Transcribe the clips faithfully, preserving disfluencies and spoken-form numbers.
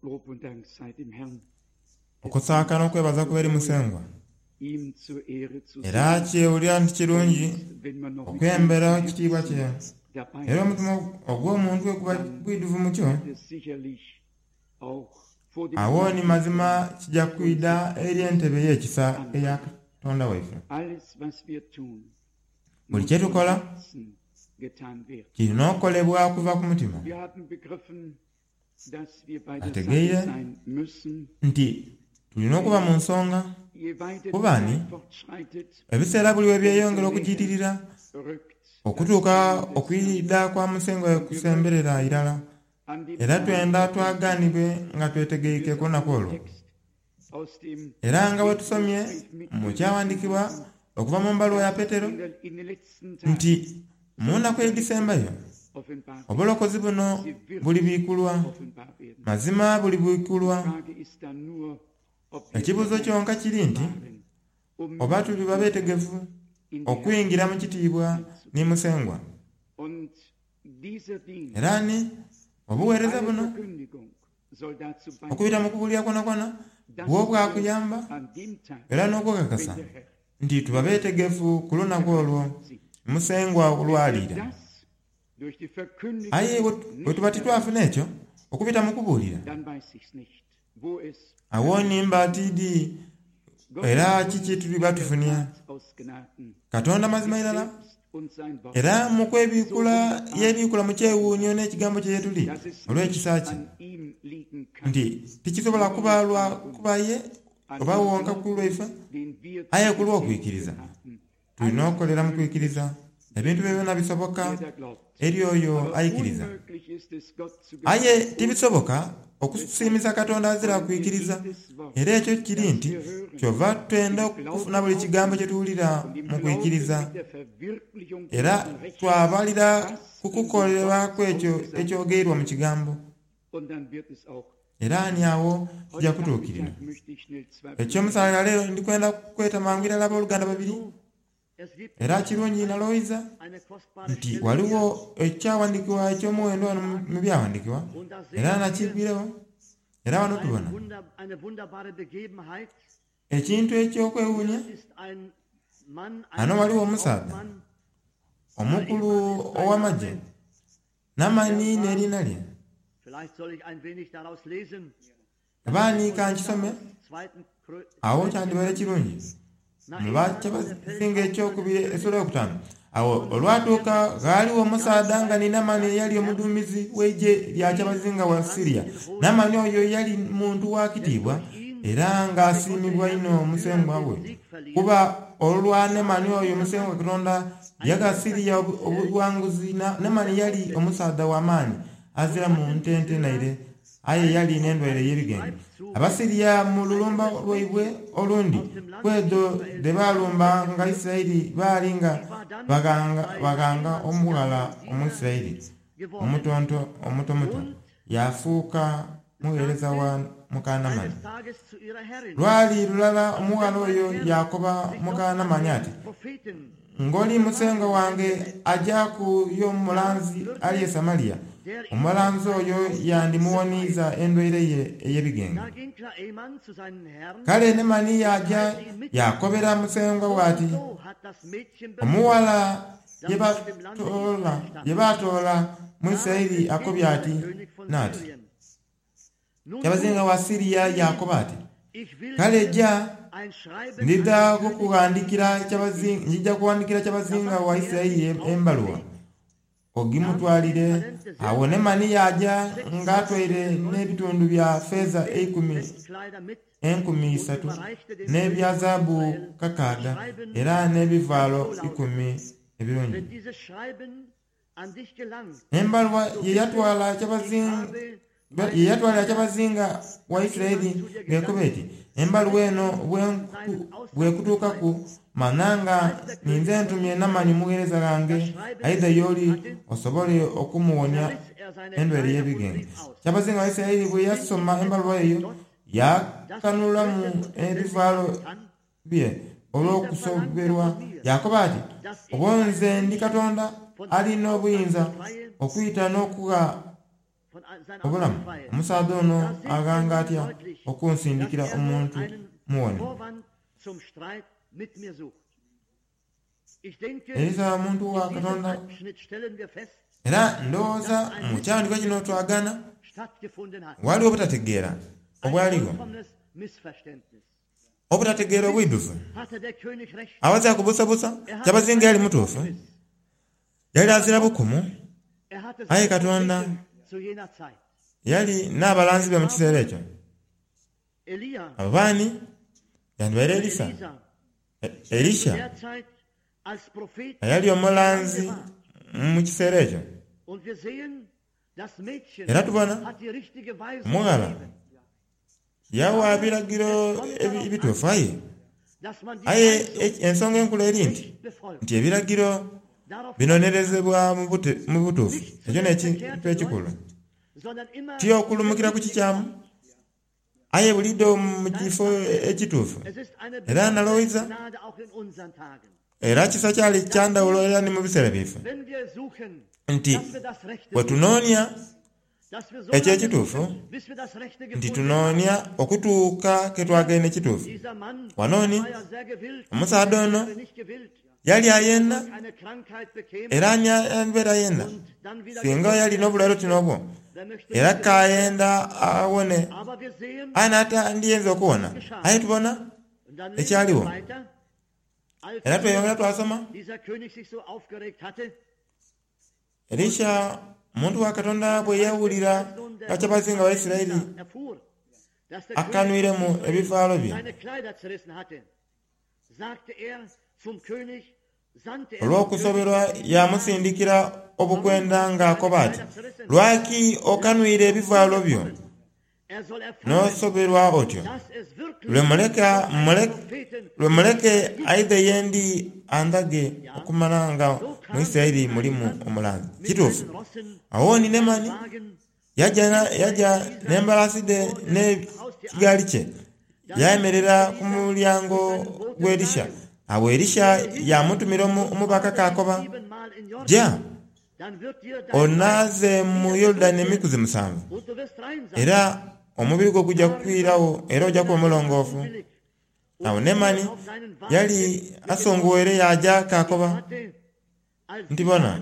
Lob und Dank sei dem Herrn, Okusaaka n'okwebaza kuba eri Musengwa. ihm zur Ehre zu Era singen. kyewulira nti kirungi Und wenn man noch mit okwembera ganzem ekitiibwa kye. Herzen dabei Era ist, omutima ogw'omuntu bwe guba gwidhuvu mutyo, wird es sicherlich auch vor dem awo ni Gnaden mazima kijja kwida eri entebe ey'ekisa eya Katonda waife. Alles, was wir tun, Buli muss kye von tukola Herzen getan werden. kirina okukolebwa kuva ku mutima. Wir haben begriffen, dass wir bei der Sache Ategeire sein müssen. nti tulina okuba mu nsonga Je weiter die kuba ni Zeit fortschreitet, ebiseera buli we byeyongera okujiitirira rückt okutuuka okwida kwa Musengwa kusemberera irala. an dem Era Tag twenda twagaanibwe nga twetegeike ku lunaku olwo. Text aus dem Era nga bwe tusomye Petrusbrief mu mitgelesen kyawandiikibwa haben, okuva mu mbaluwa ya Petero in, der, in den letzten Tagen nti mu nnaku edisembayo offenbar, obulokozi buno bulibiikulwa, offenbar werden. mazima bulibiikulwa. Die Frage ist dann nur, ob wir Ekibuuzo bereit kyonka kiri nti waren, um oba tuliba beetegefu in die okuyingira mu kitiibwa ni Musengwa. Und dieser Dienst, Era ni obuweereza alle buno Verkündigung soll dazu okubita beitragen, mu kubuulira kwonakwana dass bwo wir bwakuyamba an dem Tag, era wenn n'okukakasa der Herr nti tuba beetegefu ku lunaku olwo sieht, Musengwa lwaliira. das durch die Verkündigung Aye bwe bwe tuba nicht titwafuna ekyo okubita mu kubuulira dann weiß ich's nicht, wo es awo nimba tiidi Gott era hat uns kiki tuliba in der tufunya. Tat aus Gnaden Katonda mazima sich irala selbst und sein Wort, era mu kwebiikula yeebiikula mu kyewuunyo n'ekigambo kye yetuli dass es nicht olw'ekisa kye an ihm liegen kann, nti tikisobola kuba lwa kuba ye an oba dem wonka ku lwaife Glauben, den wir aye zu ku lw'okwikiriza. empfangen haben. Tulina okukolera mu kwikiriza ebintu bye byonna bisoboka Der da glaubt. eri oyo Aber ayikiriza. unmöglich ist es, Gott zu Aye gefallen, tibisoboka okusiimisa Katonda azira kwikiriza. Era ekyo kiri nti kyova twenda okufuna buli kigambo kye tuwulira und im mu Glauben kwikiriza mit der Verwirklichung era dessen Recht, twabalira was ku in dem kukolebwa Wort kw'ekyo ausgesagt ekyogeirwa mu kigambo. und dann wird es auch. Era ani awo kijja Heute kutuukirira. Nachmittag möchte ich schnell zwei Ekyomusalira leero ndikwenda kweta mangu irala abooluganda babiri Es gibt era kirungi nalowooza eine kostbare nti Stelle waliwo ekyawandiikibwa eky'omuwendo wano mu- mu byawandiikibwa und da era sehen wir nakigwirewo era wano ein tubona Wunder, eine wunderbare Begebenheit. ekintu ekyokwewuunya. Hier ist ein Mann, ein Ano waliwo omusaadha Hauptmann, omukulu ow'amagye Namani n'erinnya lye. Vielleicht soll ich ein wenig daraus lesen. Oba ka nkisome Zweiten Krö- awo kyandibaire kirungi mu bakyabazinga ekyokubiri essula eyokutaano. Awo olwatuuka ghaaliwo omusaadha nga ni Namani eyali omuduumizi w'eggye lya kyabazinga wa Siriya. Namani oyo yali muntu wa kitiibwa era ng'asiimibwa inho Musengwa we, kuba olwa Namani oyo Musengwa Katonda yagha Siriya obu- obuwanguzi. Na- Namani yali omusaadha w'amaani azira mu ntente naire, aye yali n'endwaire ey'ebigenge. Abasiriya mu lulumba lwaibwe olundi ku edho dhe baalumbanga Isirayiri baali nga baghanga baghanga omughala Omwisirayiri omutonto omutomuto yafuuka mugheereza wa muka Namani. Eines Tages zu ihrer Herrin. Lwali lulala omughala oyo yakoba muka Namani ati, Propheten, ng'oli musengwa wange aja ku y'omulanzi ali e Samaliya, omulanzi oyo yandimuwoniiza endwaire ye ey'ebigenge. da ging Naeman zu seinen Herrn. Kale Nemani yaja yakobera musengwa we ati, So hat das Mädchen omuwala ye batoola ye baatoola mu Isirayiri akobye ati n'ati. Syrien. Nun Kyabazinga wa Siriya yakoba ati, ich will kale ja ein Schreiben ndidha an den König kukughandikira kyabazinga njija kuwandikira kyabazinga wa Isirayiri embaluwa ogimutwalire. Awo Nemani yaja ng'atwaire n'ebitundu bya feeza eikumi Festkleider mit enkumi und isatu überreichte dem n'ebya König von zaabu Israel kakaaga das Schreiben, era n'ebivaalo das so lautet: ikumi ebirungi. Wenn dieses Schreiben an dich gelangt, Embaluwa so ye wisse, yatwala ich kyabazinga habe ye yatwalira kyabazinga wa Isirayiri ng'ekoba eti, embaluwa eno bwenku- bw'ekutuukaku mananga ninze ntumye Namani mugheereza ghange aidha y'oli osobole okumuwonya riss er seine endwaire Kleider und ey'ebigenge. rief aus: Kyabazinga wa Isirayiri bwe yasoma embaluwa eyo yakanulamu ebivaalo Kann bye olw'okusoberwa yakoba ati, dass ich oba nze ndi Katonda alina obuyinza okuyita n'okugha Obulamu, omusaadha ono aghanga atya okunsindikira omuntu muwone? Elisa omuntu wa Katonda. Era ndowooza mu kyandiko kino twagana waliwo obutategeera obwaligho, obutategeera obwidhuvu. Awazira kubuusabuusa kyabazinga yali mutuufu, yali azira bukumu, aye Katonda yali n'abalanzi be mu kiseera ekyo. Abo baani? Yandibaire Elisa, Elisha eyali omulanzi mu kiseera ekyo. Era tubona omughala yawa ebiragiro ebituufu aye aye ensonga enkulu eri nti nti ebiragiro binonerezebwa mu butuufu. Ekyo n'ekintu ekikulu, ti okulumukira ku kikyamu aye buliidho mu kifo ekituufu. Era nalowooza era kisa kyali kya ndhawulo era ni mu biseera byaife nti bwe tunoonia ekyo ekituufu, nti tunoonia okutuuka ke twagaine ekituufu. Wano ni omusaadha ono yali ayenda, era ani alibeera ayenda singa yali n'obulwaire oti n'obwo, era k'ayenda awone aye n'atandiyinza okuwona. Aye tubona ekyaligho. Era tweyongera twasoma. Elisha omuntu wa Katonda bwe yawulira nga kyabazinga wa Isiraeli akanwiremu ebivaalo bye olw'okusoberwa, yaamusindikira obukwenda ng'akoba ati, Lwaki okanwire ebivaalo byo n'osoberwa otyo? Lwe muleke aidhe ye ndi andhage okumanha nga mu Isiraeli mulimu omulanzi. Kituufu. Agho ni Naamani yaja n'embalaasi dhe n'ekigaali kye, yaayemerera ku mulyango gw'Elisha. Agho Elisha yaamutumira omubaka ng'akoba, Ja, onaaze mu Yorudani emikuzi musanvu, era omubiri gwo guja kwiragho era oja kuba omulongoofu. Agho Naamani yali asungughaire yaaja k'akoba nti, Bona,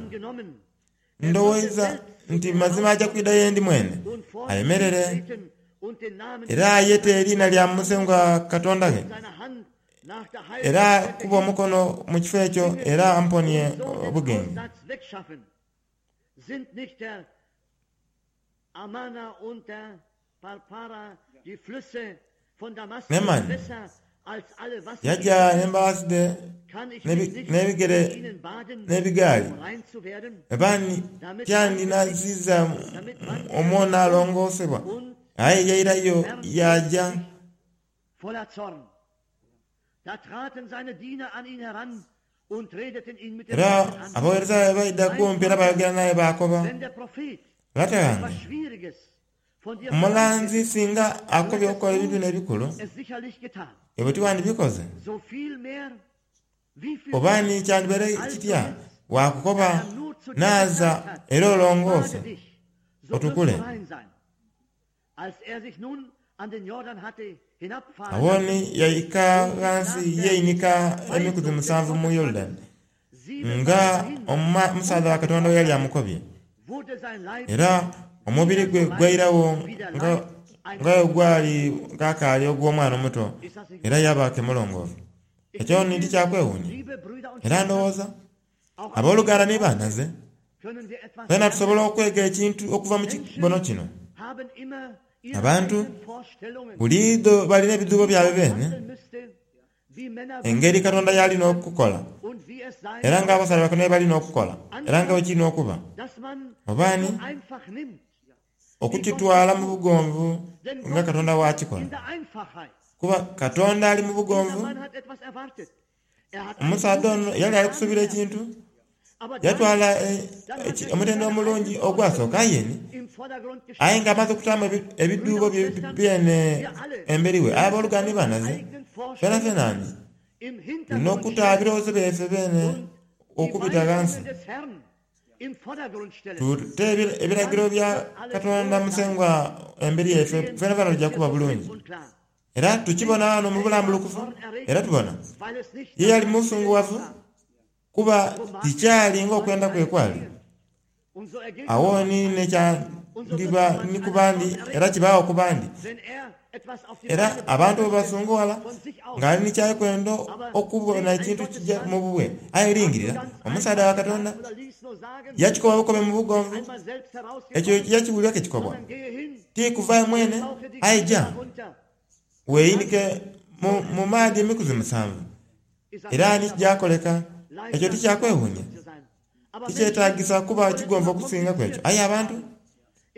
ndowooza nti mazima aja kwidha ye ndi mwene, ayemerere era ayete eriina lya Musengwa Katonda ghe, era akube omukono mu kifo ekyo era amponie obugenge. Naamani yaja n'embalaasi dhe n'ebigere n'ebigaali. Labani tiyandinaaziiza omwo naalongoosebwa, aye yairayo yaaja. Era abagheereza be baidha kumpi era baayogera naye baakoba, Lata ghange, omulanzi singa akukobye okukola ebintu bino ebikulu, iwe tiwandibikoze? Oba ni kyandibaire kitya bw'akukoba, Naaza era olongoose otukule? Agho ni yaika ghansi yeinika emikuzi musanvu mu Yorudani, nga omusaadha wa Katonda bwe yali amukobye. Era omubiri gwe gwairagho nga bwe gwali ghakaali ogw'omwana omuto, era yaaba ke mulongoofu. Ekyo ni tikyakwewuunia? Era ndowooza, aboluganda ni banhaze, twena tusobola okwega ekintu okuva mu kibono kino. Abantu buliidho balina ebidhuubo byaibwe beene, engeri Katonda y'alina okukola, era nga abasaadha ba Katonda bye balina okukola, era nga bwe kirina okuba. Oba ni, okukitwala mu bugonvu nga Katonda bw'akikola. Kuba Katonda ali mu bugonvu. Omusaadha ono yali ali kusuubira ekintu. Yatwala omutendera omulungi ogwasooka aye ni aye nga amaze okutaamu ebidhuubo bye byene emberi we. Aye aboluganda ni banhaze, fenafena ni tulina okuta ebirowoozo byaife beene okubita ghansi im Vordergrund stellen. Tute ebi- ebiragiro bya Katonda Musengwa emberi yaife fena fena tujja kuba bulungi. Und klar, Era tukibona wano mu bulambulukufu, era tubona weil es nicht ye yali musunguwavu kuba tikyali ng'okwenda kwe kwali. und so ergeht es, Awo ni nekyandiba ni ku bandi era kibaawo ku bandi. wenn er etwas auf die Era Beine abantu bwe basunguwala von sich aus ng'ali nikyakwenda okubona ekintu kijja mu bubwe, aye lingirira omusaadha wa Katonda oder ließ nur sagen, yakikoba bukobe mu bugonvu, einmal selbst ekyo herausgekommen, yakiwulira ke kikobwa sondern gehe hin, tikuvaayo mwene tauche dich aye ja runter. weeyinike mu, mu maadhi emikuzi musanvu. Ist Era ni kijakoleka ekyo tikyakwewuunya, zu sein. Aber tikyetaagisa kuba kigonvu okusinga ku ekyo. Aye abantu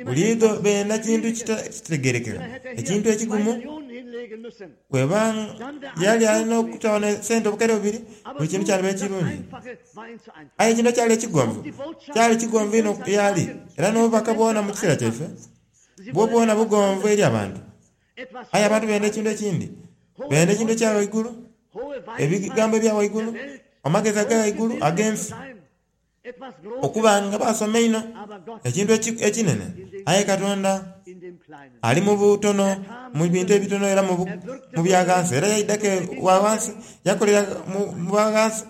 buliidho benda kintu kita- kitegerekeka, ekintu ekigumu. Millionen hinlegen müssen. Bweba yali alina okutawana sente obukaire bubiri, buli kintu kyaliba das ekirungi. Einfache war ihm zu einfach. Aye ekintu ekyali ekigonvu kyali kigonvu ino yali, era n'obubaka bwona mu kiseera kyaife Sie bwo wollen bwona bugonvu eri abantu. etwas Aye abantu benda ekintu ekindi, benda ekintu ekya waigulu, hohe ebigambo ebya waigulu, amagezi aga waigulu ag'ensi, sein, etwas Großes, okuba nga basoma ino aber Gott ekintu eki- ekinene. Aye Katonda in dem Kleinen. ali mu butono, mu bintu ebitono era mu bu- mu bya ghansi. Era yaidako wa ghansi, yakolera mu mu bwa ghansi,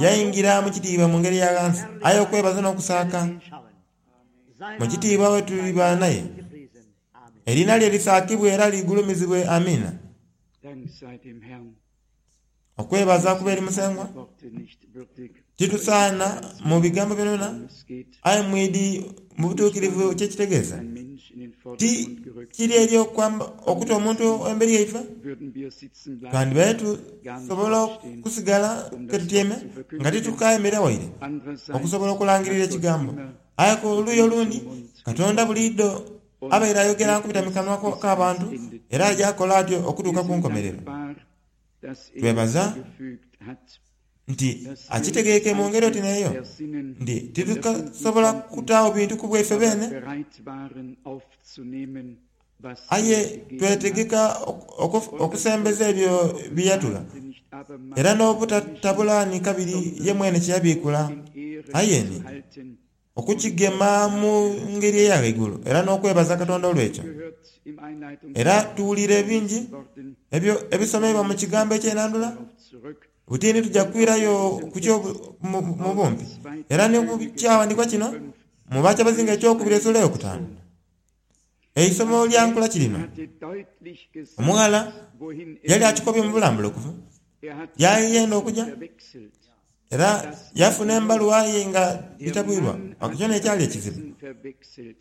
yayingira mu kitiibwa mu ngeri ya ghansi. Aye okwebaza n'okusaaka Hinschauen. Sein mu kitiibwa we tuliba naye, gepriesen. Amen. erina lye lisaakibwe era ligulumizibwe. Amiina. Dank sei dem Herrn. Okwebaza kuba eri Musengwa. Worte nicht würdig. Kitusaana mu bigambo byonna, Es geht aye mwidi mu butuukirivu kyekitegeeza ein Mensch in den ti Vordergrund gerückt. kiri eri okwamba okuta omuntu emberi yaife. Würden wir sitzen bleiben. Twandibaye tusobola okusigala ketutyeme nga titukaemera waire Andererseits okusobola okulangirira hat Gott ekigambo. immer Aye ku luuyi olundi Katonda buliiddo abaire ayogera nkubita mikanwa k'abantu, era ajja akola atyo okutuuka Wir ku sind nkomerero. dankbar, dass er Twebaza gefügt hat, nti dass wir akitegeke mu ngeri oti neeyo ersinnen nti und titukasobola erfinden konnten, kutaawo bintu ku bwaife aber beene, bereit waren aufzunehmen, was aye er gegeben hat. twetegeka ok- oku- okusembeza ebyo byeyatula, Sagte nicht abermals era n'obutatabulaani kabiri ye mwene kyeyabiikula, in Ehren aye ni zu halten. okukigema mu ngeri eya waigulu era n'okwebaza Katonda olw'ekyo. Gehört im Einleitungs- Era tuwulira ebingi Worten ebyo ebisomebwa mu kigambo ekyenandula. darauf zurück. Butini tujja kwirayo ku kyo mu mu bumpi, era ne ku kyawandiikwa kino mu Bakyabazinga ekyokubiri essula eyokutaano, eisomo lya nkula kirino. Hatte deutlich gesagt, Omughala wohin er yali akikobye mu bulambulukufu, Er hat yayenda okujja verwechselt. era yafuna embaluwa ye nga Der bitabwirwa. Mann hat Ekyo nekyali ekizibu. Adressen verwechselt.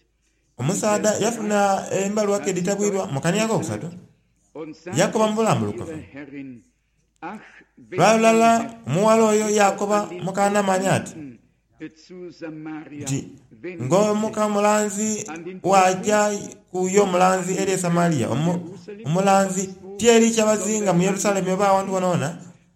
Omusaadha yafuna embaluwa ke ditabwirwa mu kania akokusatu, Und sagte yakoba mu zu bulambulukufu. ihrer Herrin, ach, wenn Lwalulala mein Herr omuwala oyo yakoba mukanamanya ati zu Samaria, nti wenn ng'omuka mulanzi wajja ku yo omulanzi eri e Samaliya, omu- omulanzi ti eri kyabazinga mu Yerusalemu oba awantu wonawona,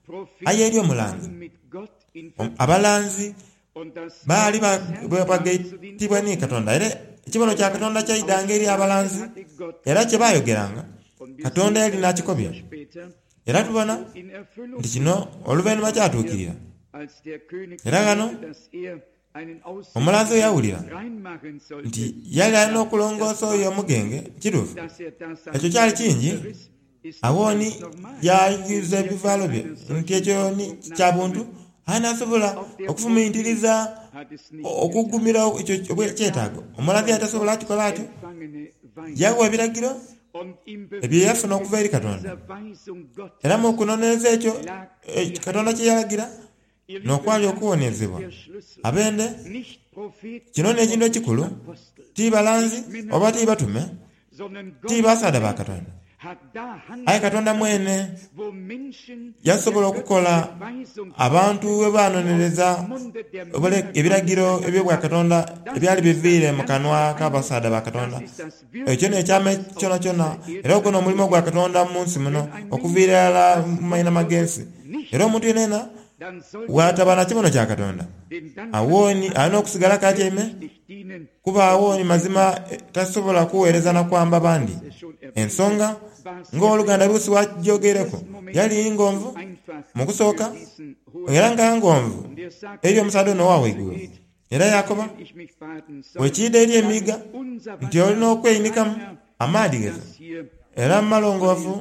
Propheten aye eri omulanzi. mit Gott in Om- abalanzi und das baali ba- Wort ba- des Herrn zu den bagaitibwa ni Katonda, era ekibono kya Katonda kyaidanga eri abalanzi, hatte Gott era kye baayogeranga und wir Katonda sehen yali n'akikobya. später Era tubona in Erfüllung nti kino oluvannyuma kyatuukirira. als der König Era gano hörte, dass er einen omulanzi oyo yawulira reinmachen sollte, nti yali alina okulongoosa oyo omugenge kituufu. dass er das Ekyo kyali kingi. zerriss, ist Awooni ganz normal. yayuza ebivaalo bye nti ekyo ni kya buntu, aye n'asobola okufumintiriza Hat es nicht okugumira ekyo kyetaago. Omulanzi yali tasobola akikola atyo, empfangene Weisung yawa ebiragiro und im ebyo yafuna okuva eri Katonda. dieser Weisung Gottes Era mu kunonereza ekyo eh, Katonda kye yalagira Ihr lieben, n'okwali okuwonezebwa. der Schlüssel Abende nicht Propheten kino n'ekintu ekikulu, Apostel, ti balanzi oba ti batume, sondern ti Gott basaadha ba Katonda, hat da aye handelt, Katonda mwene wo Menschen yasobola der okukola göttliche Weisung abantu we banonereza Munde der obule- Männer ebiragiro Gottes ebyobwa Katonda ebyali biviire mu kanwa k'abasaadha ba Katonda. Das ist das Ekyo n'ekyama kyona kyona, era ogwo n'omulimu gwa Katonda mu nsi muno okuviira ddala mu mayina g'ensi. Era omuntu yenena dann sollte bw'ataba na kibono kya Katonda, denn dann awooni alina okusigala k'atyeme, nicht dienen, kuba awooni mazima eh, tasobola kuweereza na kwamba bandi. es schon erwähnt, Ensonga ng'oluganda Luusi wakyogereko yali ngonvu einfach mu kusooka, für diesen hohen era nga ngonvu Und er sagte, eri omusaadha ono owa waigulu. Era yakoba Wenn ich mich baden soll, bwekiida eri dann emiiga ist unser nti olina Wasser okweyinikamu reiner amaadhi als geza das hier era malongoofu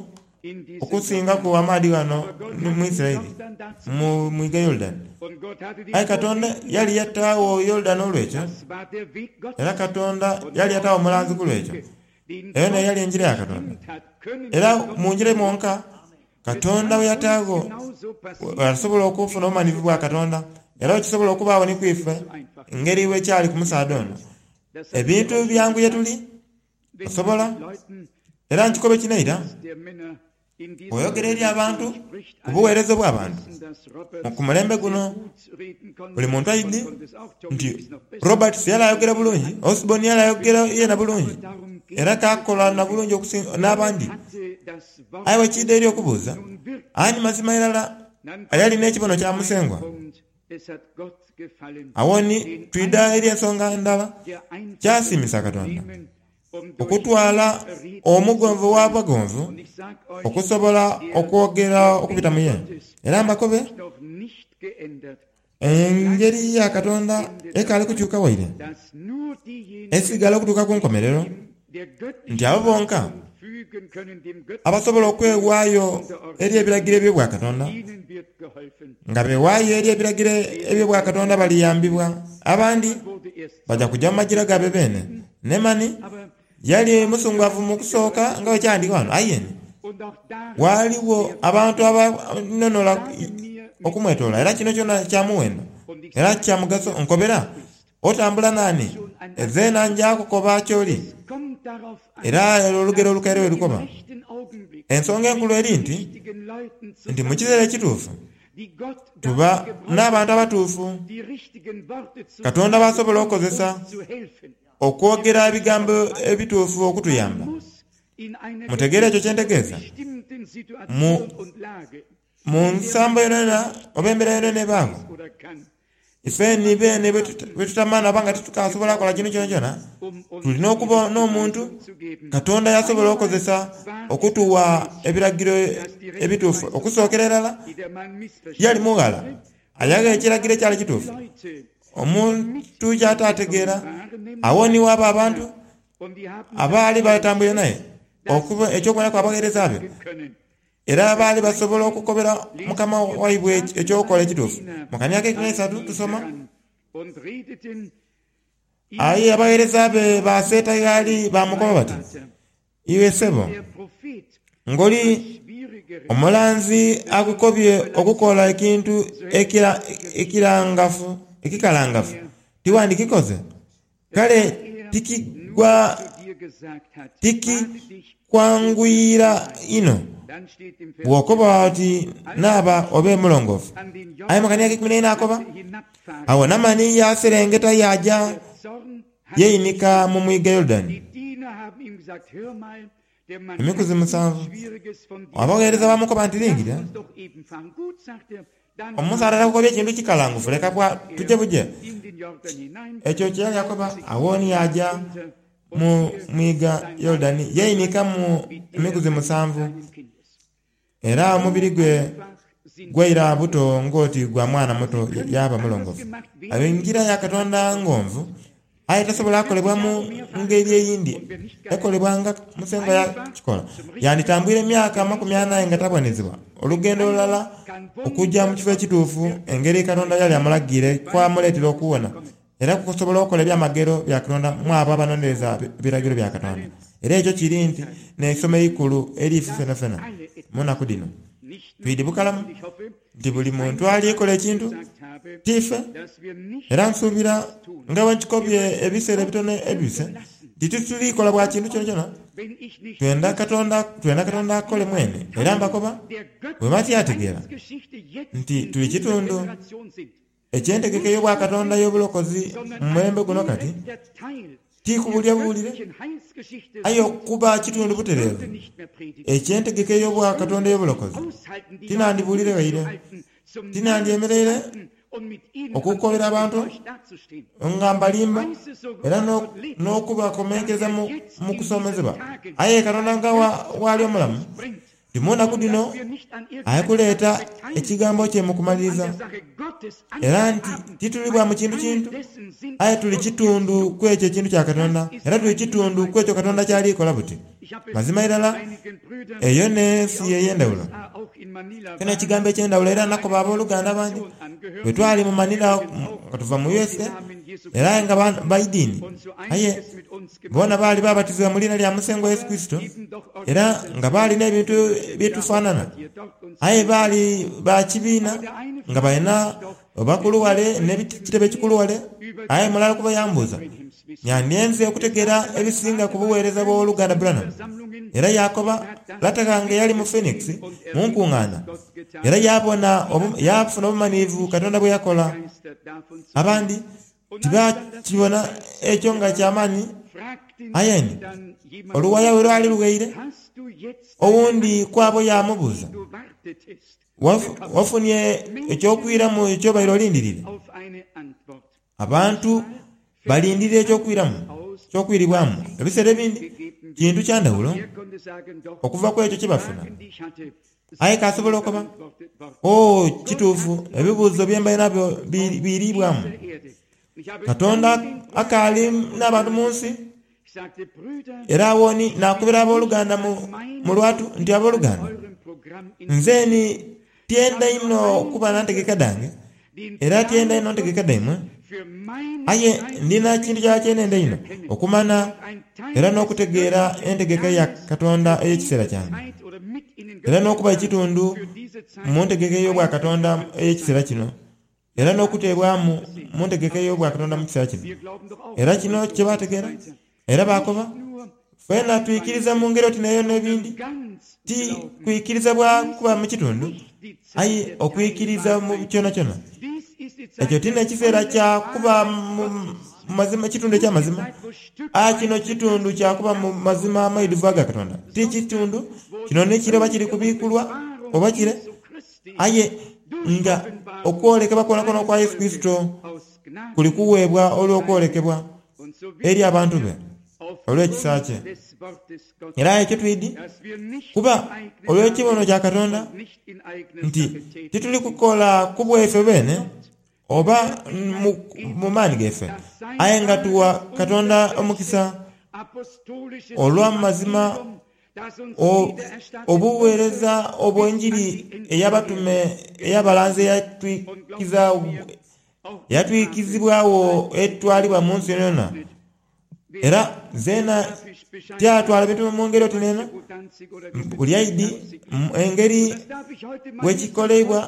in diesem okusingaku Jordan. amaadhi gano Aber Gott mu hatte den Isiraeli Jordan dazu mu mwiga Yorudani. und Gott hatte den Aye Katonda Propheten yali dazu yataawo Yorudani olw'ekyo, Das war der Weg era Gottes. Katonda Und yali nur yataawo auf omulanzi dem ku lw'ekyo. Wege, den Eyo nayo Gott yali enjira ya Katonda. bestimmt hat, können Era wir Gott mu njira finden. mwonka Es Katonda kann we uns yataago genauso passieren, asobola okufuna obumanivu bwa Katonda era okisobola okubaawo ni kwife so einfach. engeri bwekyali ku musaadha ono. Das habe ich Ebintu auch schon byangu ye gesagt, tuli wenn man osobola mit Leuten era nkikobe kino eira der Männer in dieser bw'oyogera eri abantu Generation spricht, ku alle buweereza bw'abantu wissen, dass Roberts ku mulembe sehr guno gut reden konnte. buli muntu Osborne aidhi konnte es auch, Tommy nti ist noch besser. Roberts yali ayogera bulungi, Osborne yali ayogera yena Aber bulungi darum geht era es kakola na nicht. bulungi okusinga Er n'abandi. hatte das Wort Aye bwekiida eri okubuuza nun wirklich. ani mazima irala Dann ayali kommt n'ekibono der kya zweite Musengwa. Punkt. Es hat Gott gefallen, Awo ni den twidha eri Einfachen, ensonga ndala der Einfachen kyasiimisa zu Katonda nehmen, um durch ihn okutwala reden zu omugonvu können. w'abagonvu Und ich sag euch, okusobola der, okwogera der okubita Weg mu ye. Gottes Era hat mbakobe sich noch nicht geändert. engeri ya Katonda Ende ekaali dabei, kukyuka waire dass nur diejenigen esigala okutuuka ku nkomerero sich dem, der nti göttlichen abo bonka Ordnung fügen können, dem göttlichen abasobola Befehl okwewaayo eri unterordnen ebiragiro können, eby'obwakatonda ihnen wird geholfen. nga bewaayo eri ebiragiro eby'obwakatonda baliyambibwa abandi Naaman wurde erst bajja kujja mu magira gaabwe beene. Nemani aber yali es waren musungwavu mu gereizte kusooka Leute nga bwe kyandika wano ayeni und auch darin waaliwo sehr abantu wertvoll. abanonola Sage mir, mit okumwetoola era kino kyona kya muwendo und ich era sage kya mugaso dir, nkobera wer du bist. otambula naani Schon ein ezeena anderes. nja kukoba ky'oli Es kommt darauf an, era olugero dass olukaire wir bwe im lukoba. rechten Augenblick Ensonga mit enkulu den eri nti richtigen Leuten nti mu kiseera zusammenkommen, ekituufu die Gott tuba dazu gebrauchen n'abantu kann, abatuufu die richtigen Worte zu Katonda sagen, b'asobola um okukozesa uns zu helfen. Ihr okwogera müsst ebigambo begreifen, ebituufu man okutuyamba. muss in einer Mutegeere ekyo kye gewissen ntegeeza bestimmten mu Situation und Lage, mu in der nsambo man yonayona nicht oba embeera yonayona etwas ebaawo weiß oder kann, ife ni beene muss man bwe tutamana oba nga tetukasobola kukola kintu kyona kyona um uns tulina die okuba richtige n'omuntu Weisung zu geben. Katonda yasobola Einmal okukozesa war es okutuwa das Mädchen, ebiragiro das die ebituufu Rechtweisung okusookera gab, irala die der Mann yali missverstanden mughala hatte. Und ayaga dann ekiragiro kamen ekyali die kituufu Leute, die omuntu mit ihm ky'ataategeera gekommen waren, nämlich awo niwo abo die abantu Diener. Und die haben abaali dafür batambwire naye gesorgt, dass okuba sie ekyokuboneraku abaweereza be sagen können. era In Vers baali basobola dreizehn okukobera lesen mukama wir, da waibwe traten ekyokukola seine ekituufu. Diener Mu kanya ak'ekumi an n'eisatu ihn tusoma heran und redeten ihm aye abaweereza be die baseeta Worte, gaali bamukoba Mein bati Vater, iwe ssebo der Prophet ng'oli etwas Schwierigeres omulanzi akukobye besonders okukola überlassen, ekintu so hätte ekira- ich es ekirangafu nicht ekikalangafu mehr tiwandikikoze kale Da er nur tikigwa zu dir gesagt hat, bade dich tikikwanguyira und sei ino rein. Dann steht im Vers bw'okoba vierzehn, oti als naaba er obe mulongoofu. an den Aye mu kanya Jordan ak'ekumi n'eina akoba hatte hinabfahren awo Namani yaserengeta yaja wollen, der Zorn hatte yeeyinika mu sich. mwiga Yorudani Die Diener haben ihm gesagt, hör mal, der Mann emikuzi hat nichts musanvu. Schwieriges von dir Abaweereza verlangt. bamukoba nti Lass lingirira uns doch eben fahren. Gut, sagt er, dann omusaadha fahren takukobye wir. ekintu kikalangufu leka bwa Taucht tujje er buje. in den Jordan hinein, Ekyo kye yali akoba tauchte sich awo ni fünfmal yaja hinunter und mu siehe, mwiga sein Leib Yorudani war yeeyinika mu wie der emikuzi eines musanvu kleinen Kindes. era So omubiri gwe einfach sind die gwaira Dinge. buto ng'oti gwa mwana Sie muto können yaba anders mulongoofu. gemacht Awo werden, enjira ya als Katonda Gott ngonvu es tut. aye Wer tasobola vierzig kukolebwa mu Jahre mehr fahren ngeri würde eyindi und wer nicht geheilt ekolebwa nga Musengwa einfach yakikola zum richtigen yanditambwire Ort, emyaka der amakumi richtigen anaye nga Weisung Gottes. tabonezebwa olugendo olulala Einfach kann okujja mu Wunder kifo ekituufu Gottes wirken, engeri Katonda yali weil amulagiire sie kwamuleetera zu okuwona kommen. era kusobola okukola ebyamagero bya Katonda mu abo abanonereza ebiragiro bya Dass Katonda. alle Era ekyo kiri nti Teil n'essomo eikulu eriife dass fena fena alle mu etwas nnaku tun. dhino. Nicht nur Twidi wir, bukalamu und ich hoffe, nti buli ich muntu einmal alikola ekintu gesagt habe, tiife dass wir nicht era nsuubira etwas tun. nga bwe nkikobye Wir wollen ebiseera Gott ebitono ebise unterlassen. nti titulikola bwa Und kintu kyona kyona uns, wenn ich nicht twenda wüsste, Katonda twenda Katonda dass akole wir mwene ein era Teil mbakoba der bwe göttlichen batyategeera Heilsgeschichte jetzt nti in tuli dieser kitundu Generation sind. ekyentegeka Nicht ey'obwakatonda zufällig, y'obulokozi sondern mu ein mulembe guno kati direkter Teil der tikubulya buwulire göttlichen Heilsgeschichte aye sind. okuba kitundu Ich butereevu würde nicht mehr predigen. ekyentegeka Ich ey'obwakatonda könnte es nicht y'obulokozi aushalten, die Leute tinandibuulire waire durchzuhalten, zum Narren zu tinandyemereire halten und mit ihnen am okukobera Ende abantu enttäuscht dazustehen. nga Ich mbalimba weiß es so gut, era dass no- Gott lebt, n'okubakomenkeza dass mu er jetzt mu in diesen kusomezebwa Tagen aye Katonda sein nga wa- waali omulamu Göttliches bringt. Nti mu nnaku dhino ali kuleeta ekigambo kye mu kumaliriza, era nti tituli bwa mu kintu kintu, aye tuli kitundu ku ekyo ekintu kya Katonda, era tuli kitundu ku ekyo Katonda ky'ali kola buti. Mazima irala, eyo n'ensi ey'endhawulo. Ekyo n'ekigambo eky'endhawulo era nakoba aboluganda abandi bwe twali mu Manila nga tuva mu U S A, era nga ba idiini, aye boona baali babatizibwa mu liina lya Musengwa Yesu Kurisito, era nga baali n'ebintu byetufanana, aye baali ba kibiina nga balina bakulu ghale n'ekitebe ekikulu ghale. Aye mulala kubo yambuuza, Nandyenze okutegeera ebisinga ku bugheereza bw'Owoluganda Branham. Era yaakoba, Lata ghange yali mu Phoenix mu nkungaana, era yaabona yaafuna obumanhirivu Katonda bwe yakola. Abandi tibakibona ekyo nga kya maani. Aye ni oluwaya bwe lwali lughaire, owundi ku abo yaamubuuza, Wafunye eky'okwiramu ky'obaire olindiriire? Abantu balindirira eky'okwiramu, eky'okwiribwamu. Ebiseera ebindi kintu kya ndhawulo okuva ku ekyo kye bafuna. Aye k'asobola okoba, Oo, kituufu, ebibuuzo bye mbaire nabyo biiriibwamu. Katonda akaali n'abantu mu nsi. Era agho ni naakobera aboluganda mu lwatu nti, Aboluganda, nze ni tyenda inho kuba na ntegeka dhange, era tyenda inho ntegeka dhaimwe, aye ndina kintu kirala kye nenda einho, okumanha era n'okutegeera entegeka ya Katonda ey'ekiseera kyange, era n'okuba ekitundu mu ntegeka ey'Obwakatonda ey'ekiseera kino. Era n'okuteebwamu mu ntegeka ey'Obwakatonda mu kiseera kino. Era kino kye baategeera, era baakoba, Fwena twikiriza mu ngeri oti n'eyo n'ebindi, ti kwikiriza bwa kuba mu kitundu, aye okwikiriza mu kyonakyona. Ekyo ti n'ekiseera kya kuba mu mazima, kitundu eky'amazima, aye kino kitundu kya kuba mu mazima amaidhuvu aga Katonda. Ti kitundu, kino ni kire oba kiri kubiikulwa oba kire. Aye nga okwolekebwa kwonakwona okwa Yesu Kurisito kuli kuweebwa olw'okwolekebwa eri abantu be olw'ekisa kye. Era ekyo twidhi kuba olw'ekibono kya Katonda nti tituli kukola ku bwaife beene oba mu maani gaife, aye nga tugha Katonda omukisa olw'amazima Obugheereza obw'Enjiri ey'Abatume ey'abalanzi eyatwikizibwagho etwalibwa mu nsi yonayona. Era zeena tyatwala bintu mu ngeri oti n'eno, buli aidhi engeri bwekikoleibwa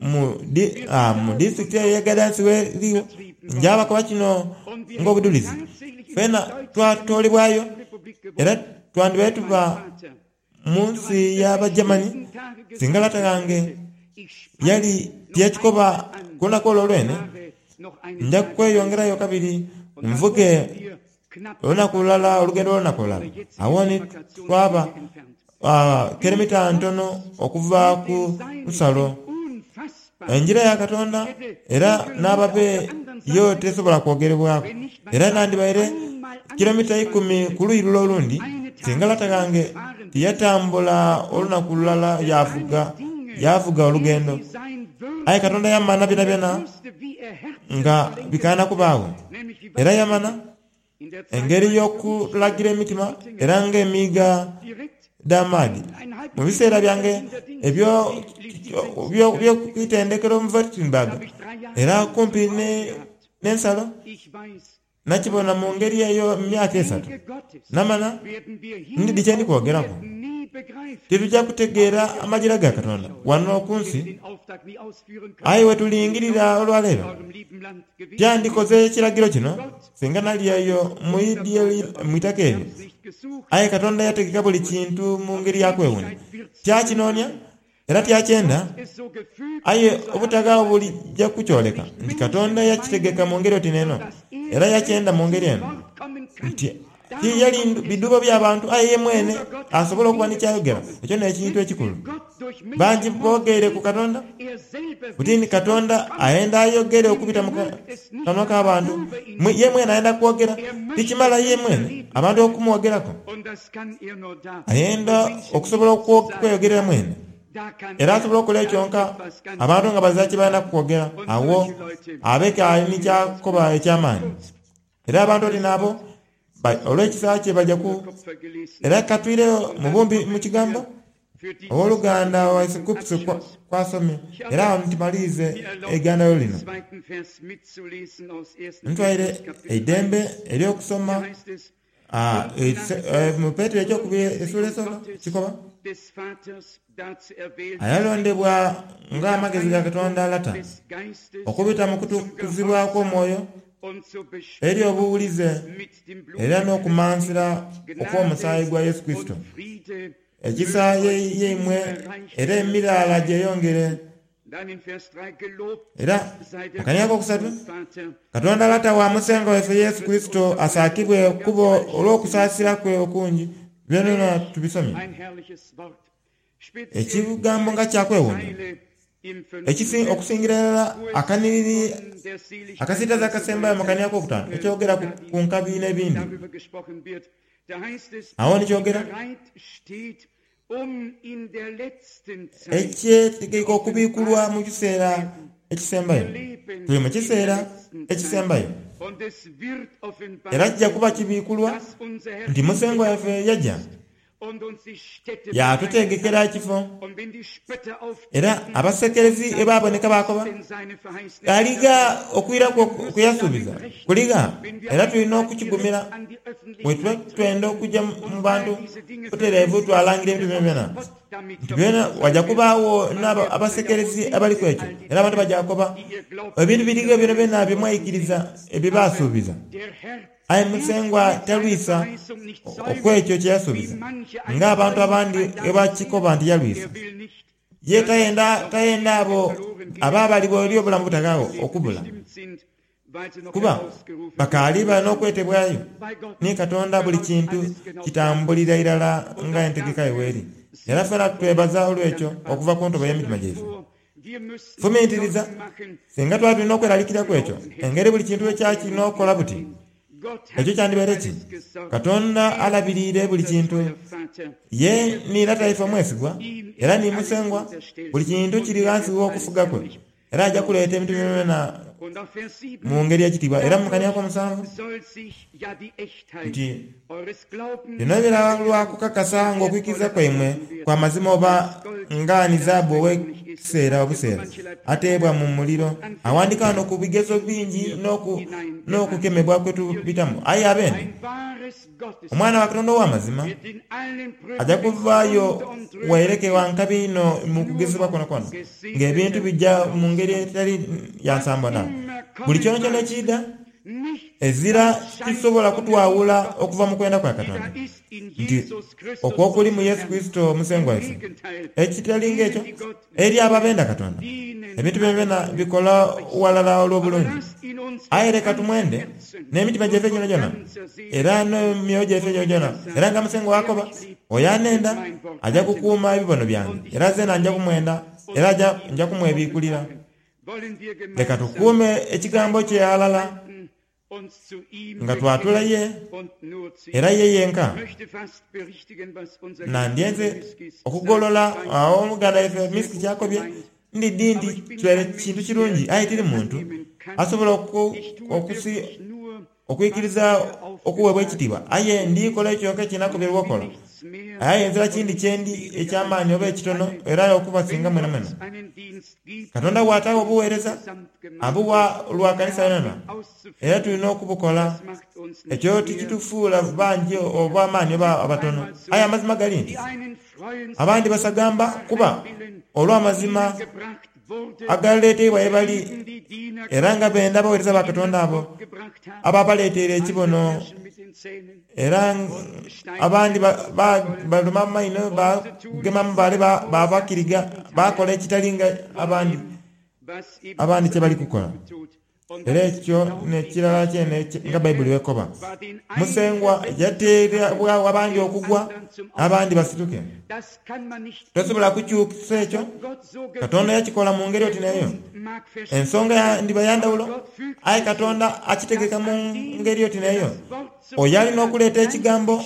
mu disitulikiti eyo ey'e Gadansi gh'erigho. Nja bakoba kino ng'obudhulizi. Fena twatoolebwayo era Twandibaire tuba mu nsi y'Abagermani singa lata ghange yali tiyakikoba ku lunaku olwo lwene, Nja kweyongerayo kabiri nvuge olunaku lulala, olugendo lw'olunaku lulala. Agho ni twaba kilomita ntono okuva ku nsalo. Engira ya Katonda era n'ababe yo tesobola kwogerebwaku. Era nandibaire kilomita ikumi ku luuyi lule olundi singa lata ghange tiyatambula olunaku lulala yaavuga, yaavuga olugendo. Aye Katonda yamanha byonabyona nga bikaana kubaagho. Era yamanha engeri y'okulagira emitima era ng'emiiga dh'amaadhi. Mu biseera byange eby'oku itendekero mu Wittenberg era kumpi n'ensalo, nakibona mu ngeri eyo mu myaka esatu. Namala ndidhi kye ndi kwogeraku. Tituja kutegeera amajira ga Katonda wano ku nsi, aye bwetulingirira olwaleero, tyandikoze kiragiro kino Singa nali eyo mu itaka eryo. Aye Katonda yategeka buli kintu mu ngeri ya kwewuunia. Tyakinoonia era tyakyenda, aye obutaghagho bulija kukyoleka nti Katonda yakitegeka mu ngeri oti n'eno, era yakyenda mu ngeri eno, nti tiyali bidhuubo bya bantu aye ye mwene asobole okuba ni ky'ayogera. Ekyo n'ekintu ekikulu. Bangi boogeire ku Katonda buti Katonda ayenda ayogere okubita mu kanwa k'abantu. Ye mwene ayenda kwogera, tikimala ye mwene abantu okumwogerako. Ayenda okusobola okweyogerera mwene, era asobola okukola ekyonka abantu nga bazira kye balina kwogera. Awo abeke ali ni kyakoba eky'amaani, era abantu oti n'abo olw'ekisa kye bajja ku. Era katwireyo mu bumpi mu kigambo owooluganda waife Kupsi kwasomye, era awo ntimalirize eigandalo lino. Ntwaire eidembe ery'okusoma mu Petero ekyokubiri essuula esooka kikoba, ayalondebwa ng'amagezi ga Katonda Lata okubita mu kutukuzibwa kw'omwoyo eri obuwulize era n'okumansira okw'omusaayi gwa Yesu Kurisito. Ekisa yeimwe era emiraala gyeyongere. Era mu kania akokusatu, Katonda Lata wa Musengwa waife Yesu Kurisito asaakibwe kuba olw'okusaasira kwe okungi. Byonbyona tubisomye. Ekigambo nga kyakwewuunia, okusingira irala akanhiriri akasiitaze akasembayo mu kania akokutaanu ekyogera ku nkabi n'ebindi. Agho ni kyogera ekyetegeike okubiikulwa mu kiseera ekisembayo. Tuli mu kiseera ekisembayo, era kija kuba kibiikulwa nti Musengwa waife yaja yaatutegekera ekifo. Era abasekerezi bwe baboneka baakoba, aligha okwiraku kwe yasuubiza kuligha, era tulina okukigumira. Bwe twenda okuja mu bantu butereevu twalangira ebintu byonabyona nti byona waja kubaagho n'abasekerezi abali ku ekyo, era abantu baja kukoba ebintu birigho byonabyona bye mwaikiriza ebye baasuubiza. Aye Musengwa talwisa okw'ekyo kye yasuubiza, ng'abantu abandi bwe bakikoba nti yalwisa. Ye tayenda tayenda abo ababalibwa eri obulamu obutaghaagho okubula, kuba bakaali bali n'okwetebwayo ni Katonda. Buli kintu kitambulira irala nga entegeka ye bw'eri. Era fena twebaza olw'ekyo okuva ku ntobo y'emitima gyaife. Fumintiriza, singa twali tulina okweralikirira ku ekyo, engeri buli kintu bwe kyali kirina okukola buti, ekyo kyandibaire ki? Katonda alabiriire buli kintu. Ye ni Lata waife omwesigwa, era ni Musengwa. Buli kintu kiri ghansi gh'okufuga kwe, era aja kuleeta ebintu byonabyona mu ngeri ey'ekitiibwa. Era mu kania ak'omusanvu nti, Bino bira lwa kukakasa ng'okwikiriza kwaimwe kwa mazima oba nga ni zaabu ow'ekiseera obuseera ateebwa mu muliro. Awandiika ghano ku bigezo bingi n'okukemebwa kwe tubitamu. Aye abende Omwana wa Katonda ow'amazima aja kuvaayo waireke wa nkabi inho mu kugezebwa kwonakwona, ng'ebintu bija mu ngeri etali ya nsambo na buli kyonakyona ekiidha. Ezira kisobola kutwawula okuva mu kwenda kwa Katonda, nti okwo okuli mu Yesu Kurisito Musengwa waife. Ekitali ng'ekyo, eri abo abenda Katonda, ebintu byonabyona bikola ghalala olw'obulungi. Aye leka tumwende n'emitima gyaife gyonagyona era n'emyoyo gyaife gyonagyona. Era nga Musengwa bw'akoba, Oyo anenda aja kukuuma ebibono byange, era zeena nja kumwenda, era nja kumwebiikulira. Leka tukuume ekigambo kye ghalala nga twatula ye era ye yenka. Nandyenze okugolola agho omuganda waife Miski ky'akobye, ndidhi nti kibaire kintu kirungi aye tiri muntu asobola okwikiriza okuweebwa ekitiibwa. Aye ndi kola kyonka kye nakoberwa okola. Aye nzira kindi kye ndi eky'amaani oba ekitono era okubasinga mwenamwena. Katonda bw'ataagho obuweereza, abuwa lwa kanisa yonayona, era tulina okubukola. Ekyo tikitufuula bangi oba amaani oba abatono. Aye amazima gali nti abandi basagamba kuba olw'amazima agaleeteibwa ye bali, era nga benda abaweereza ba Katonda abo ababaleeteire ekibono. Era abandi baluma amaino, bagema amabaale babakiriga, bakola ekitali nga abandi abandi kye bali kukola. Era ekyo n'ekirala kyene nga Bayibuli bw'ekoba. Musengwa yateerebwagho abandi okugwa, abandi basituke. Tosobola kukyusa ekyo. Katonda yakikola mu ngeri oti n'eyo. Ensonga yandiba ya ndhawulo, aye Katonda akitegeka mu ngeri oti n'eyo. Oyo alina okuleeta ekigambo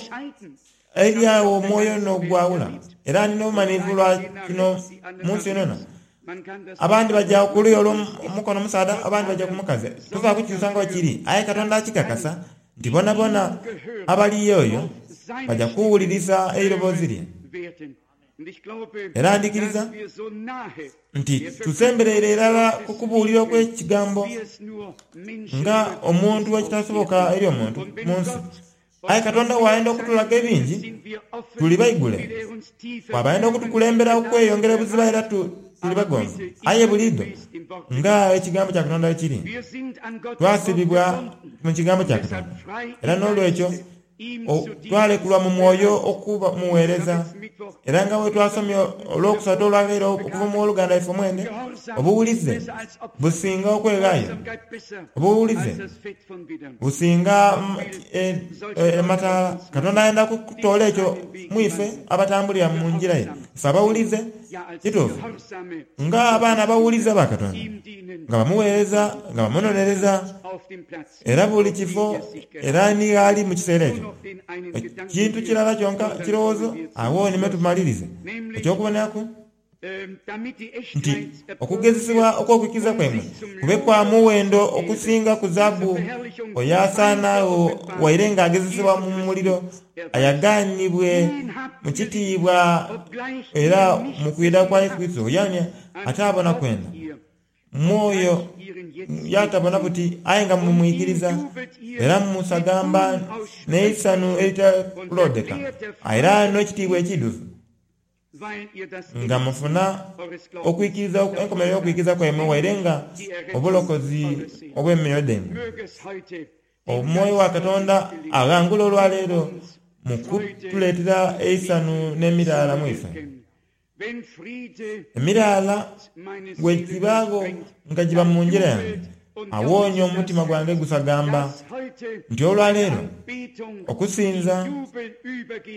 eri agho omwoyo n'ogwawula. Era ndina obumanhirivu lwa kino mu nsi yonayona. Abandi baja ku luuyi olw'omukono omusaadha, abandi baja ku mukazi. Tosobola kukyusa nga bwekiri, aye Katonda akikakasa nti bonabona abali oyo baja kuwulirisa eiroboozi lye. Era ndhikiriza nti tusembereire irala ku kubuulira okw'ekigambo nga omuntu bwekitasoboka eri omuntu mu nsi. Aye Katonda bw'ayenda okutulaga ebingi, tuli baigule. Bw'aba ayenda okutukulembera okweyongera obuziba era tuli bagonvu. Aye buliidho nga ekigambo kya Katonda bwe kiri, twasibibwa mu kigambo kya Katonda. Era n'olwekyo twalekulwa mu mwoyo okumuweereza. Era nga bwe twasomye olwokusatu olwaghaire okuva mu woluganda ife omwene, obuwulize businga okweghaayo. Obuwulize businga amataala. Katonda ayenda kutoola ekyo mu ife abatambulira mu ngira ye. Ife abawulize, kituufu, nga abaana abawulize aba Katonda, nga bamuweereza, nga bamunonereza, era buli kifo era ni ghali mu kiseera ekyo. Ekintu kirala kyonka kirowoozo, agho ni me tumalirize eky'okuboneraku nti okugezesebwa okw'okwikiriza kwaimwe kube kwa muwendo okusinga ku zaabu oyo asaanagho waire nga agezesebwa mu muliro, ayagaanibwe mu kitiibwa era mu kwidha kwa Yesu Kurisito. Yani atabona kwenda mwoyo yatabona buti, aye nga mumwikiriza era mumusagamba n'eisanhu eritakuloodheka, era n'ekitiibwa ekiidhuvu, nga mufuna okwikiriza enkomerero y'okwikiriza kwaimwe waire nga obulokozi obw'emyoyo dhaimwe. Omwoyo wa Katonda aghangula olwaleero mu kutuleetera eisanhu n'emiraala mu ife. Emiraala bwegibaagho nga giba mu ngira yange, awonia omutima gwange gusagamba nti olwaleero okusinza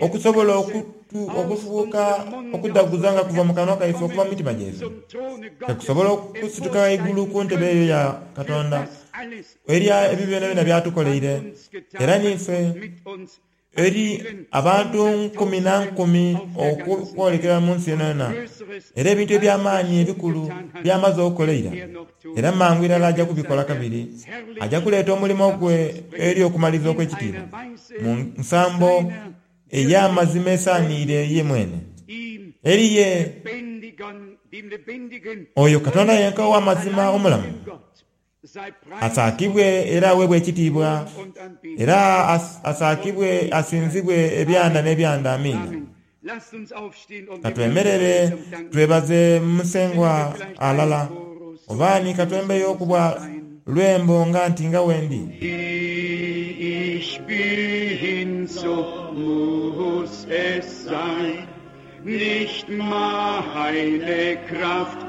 okusobola okufuuka okudhaguza nga kuva mu kanwa kaife okuva mu mitima gyaife, tekusobola okusituka ghaigulu ku ntebe eyo ya Katonda eri ebyo byonabyona byatukoleire. Era niife eri abantu nkumi na nkumi okwolekera mu nsi yonayona, era ebintu eby'amaani ebikulu by'amaze okukola eira, era mangu irala aja kubikola kabiri. Aja kuleeta omulimo gwe eri okumaliriza okw'ekitiibwa mu nsambo ey'amazima esaaniire ye mwene. Eri ye oyo Katonda yenka ow'amazima omulamu, asaakibwe era aweebwe ekitiibwa, era asaakibwe asinzibwe ebyanda n'ebyanda. Amiina. Ka twemerere twebaze Musengwa ghalala. Oba ni ka twembeyo okubwa lwembo nga nti nga wendi. Wie ich bin, so muss es sein, nicht meine Kraft,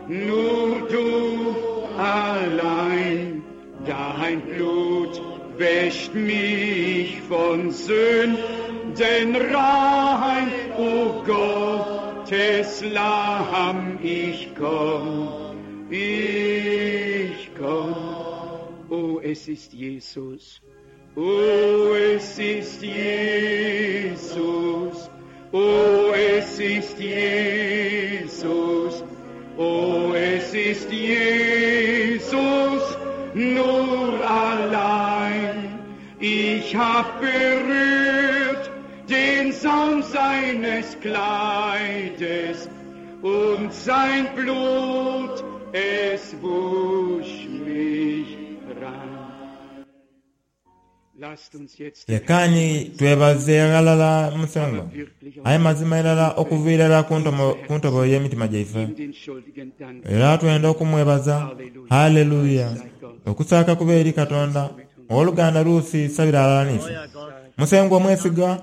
nur du allein. Dein Blut wäscht mich von Sünden rein, o Gottes Lamm, ich komm, ich komm. O, es ist Jesus, o, es ist Jesus, o, es ist Jesus, o, es ist Jesus, nur allein. Ich hab berührt den Saum seines Kleides und sein Blut, es wusch mich rein. Lasst uns jetzt den Lekani twebaze ghalala Musengwa, aye mazima irala okuva irala ku ntobo y'emitima gyaife. ihm den schuldigen Dank. Era twenda okumwebaza. Haleluya! Okusaaka kube eri Katonda. Owoluganda Ruusi sabira ghalala n'ife. Musengwa omwesiga,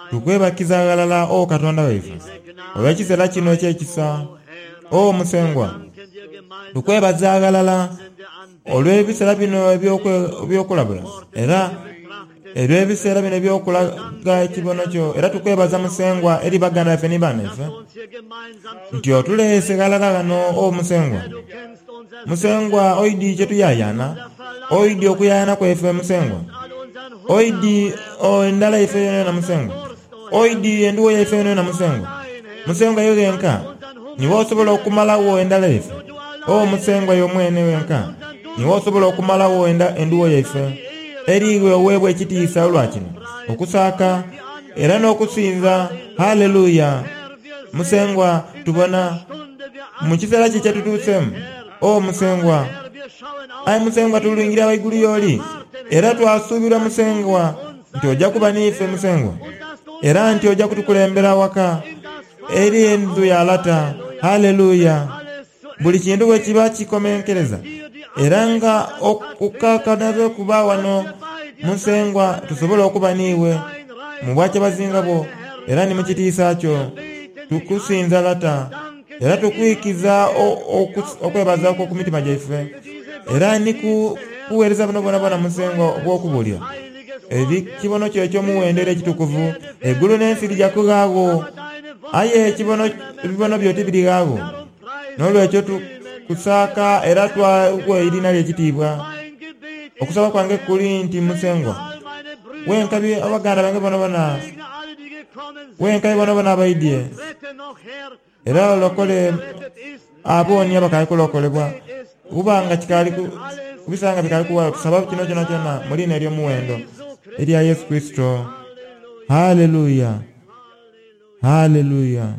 tukwebakiza ghalala o Katonda waife, olw'ekiseera kino eky'ekisa. O Musengwa, tukwebaza ghalala Olw'ebiseera bino eby'okulabula era olw'ebiseera bino eby'okulaga ekibono kyo, era tukwebaza Musengwa eri baganda baife ni banaife nti otuleese ghalala ghano, o Musengwa. Musengwa oidi kyetuyayana, oidi okuyayana kwaife Musengwa, oidi endhala yaife yonayona Musengwa, oidi enduwo yaife yonayona Musengwa. Musengwa iwe ghenka niwe osobola okumalagho endhala yaife. O Musengwa iwe mwene wenka niwe osobola okumalagho enduwo yaife. Eri iwe oweebwa ekitiisa olwa kino, okusaaka era n'okusinza. Haleluya! Musengwa, tubona mu kiseera ki kyetutuuseemu, O Musengwa. Aye Musengwa tulingirira ghaigulu y'oli, era twasuubirwa Musengwa nti oja kuba n'ife Musengwa, era nti oja kutukulembera waka eri endhu ya Lata. Haleluya! Buli kintu bwe kiba kikomenkereza era nga okukakanaze kuba wano Musengwa, tusobole okuba n'iwe mu bwakyabazinga bwo era ni mu kitiisa kyo. Tukusinza Lata, era tukwikiza okwebaza okwo ku mitima gyaife, era ni ku buweereza buno bwonabwona Musengwa obw'okubuulira eri kibono kyo eky'omuwendo era ekitukuvu. Eigulu n'ensi lija kughaagho, aye ebibono byo tibirighaagho. N'olwekyo tukusaaka era twakuwa eriina lyo ekitiibwa. Okusaba kwange kuli nti Musengwa, wenkabi abaganda bange bonabona, wenkabi bonabona abaidye, era olokole abo ni abakaali kulokolebwa, kuba nga kikaali kubisa nga bikaali kuwaayo. Tusaba kino kyonakyona mu liina ery'omuwendo erya Yesu Kurisito. Haleluya! Haleluya!